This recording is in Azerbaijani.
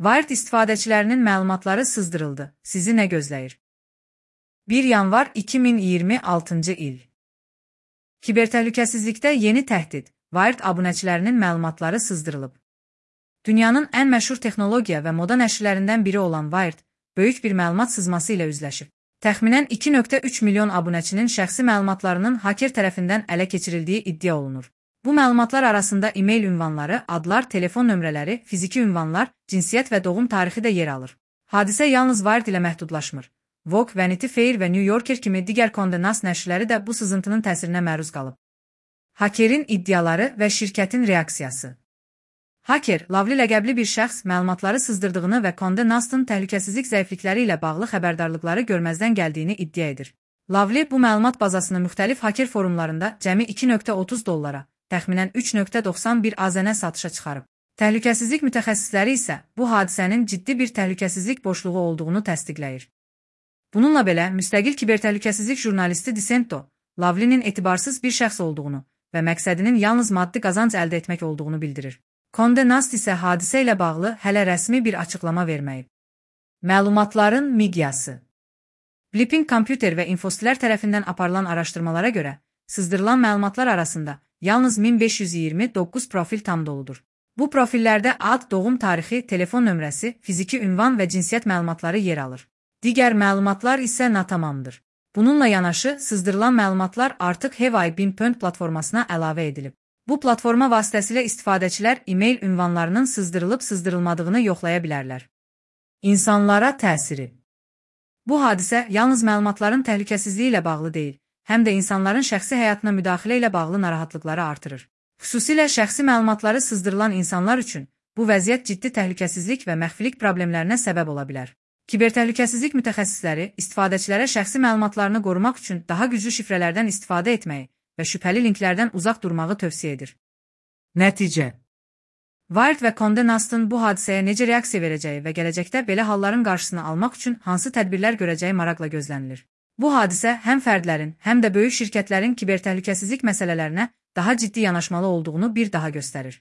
Wired istifadəçilərinin məlumatları sızdırıldı. Sizi nə gözləyir? 1 yanvar 2026-cı il. Kibertəhlükəsizlikdə yeni təhdid. Wired abunəçilərinin məlumatları sızdırılıb. Dünyanın ən məşhur texnologiya və moda nəşrlərindən biri olan Wired, böyük bir məlumat sızması ilə üzləşib. Təxminən 2,3 milyon abunəçinin şəxsi məlumatlarının haker tərəfindən ələ keçirildiyi iddia olunur. Bu məlumatlar arasında e-mail ünvanları, adlar, telefon nömrələri, fiziki ünvanlar, cinsiyyət və doğum tarixi də yer alır. Hadisə yalnız Wired ilə məhdudlaşmır. Vogue, Vanity Fair və New Yorker kimi digər Condé Nast nəşrləri də bu sızıntının təsirinə məruz qalıb. Hakerin iddiaları və şirkətin reaksiyası. Haker, Lavli ləqəbli bir şəxs məlumatları sızdırdığını və Condé Nast'ın təhlükəsizlik zəiflikləri ilə bağlı xəbərdarlıqları görməzdən gəldiyini iddia edir. Lavli bu məlumat bazasını müxtəlif haker forumlarında cəmi $2,30, təxminən 3,91 AZN satışa çıxarıb. Təhlükəsizlik mütəxəssisləri isə bu hadisənin ciddi bir təhlükəsizlik boşluğu olduğunu təsdiqləyir. Bununla belə, müstəqil kibertəhlükəsizlik jurnalisti Dissento, Lavlinin etibarsız bir şəxs olduğunu və məqsədinin yalnız maddi qazanc əldə etmək olduğunu bildirir. Condé Nast isə hadisə ilə bağlı hələ rəsmi bir açıqlama verməyib. Məlumatların miqyası. Blipping Computer və Infostilər tərəfindən aparılan araşdırmalara görə, sızdırılan məlumatlar arasında yalnız 1529 profil tam doludur. Bu profillərdə ad, doğum tarixi, telefon nömrəsi, fiziki ünvan və cinsiyyət məlumatları yer alır. Digər məlumatlar isə natamamdır. Bununla yanaşı, sızdırılan məlumatlar artıq Have.I.Been platformasına əlavə edilib. Bu platforma vasitəsilə istifadəçilər e-mail ünvanlarının sızdırılıb-sızdırılmadığını yoxlaya bilərlər. İnsanlara təsiri. Bu hadisə yalnız məlumatların təhlükəsizliyi ilə bağlı deyil, həm də insanların şəxsi həyatına müdaxilə ilə bağlı narahatlıqları artırır. Xüsusilə şəxsi məlumatları sızdırılan insanlar üçün bu vəziyyət ciddi təhlükəsizlik və məxfilik problemlərinə səbəb ola bilər. Kibertəhlükəsizlik mütəxəssisləri istifadəçilərə şəxsi məlumatlarını qorumaq üçün daha güclü şifrələrdən istifadə etməyi və şübhəli linklərdən uzaq durmağı tövsiyə edir. Nəticə. Wired və Condé Nast'ın bu hadisəyə necə reaksiya verəcəyi və gələcəkdə belə halların qarşısını almaq üçün hansı tədbirlər görəcəyi maraqla gözlənilir. Bu hadisə həm fərdlərin, həm də böyük şirkətlərin kibertəhlükəsizlik məsələlərinə daha ciddi yanaşmalı olduğunu bir daha göstərir.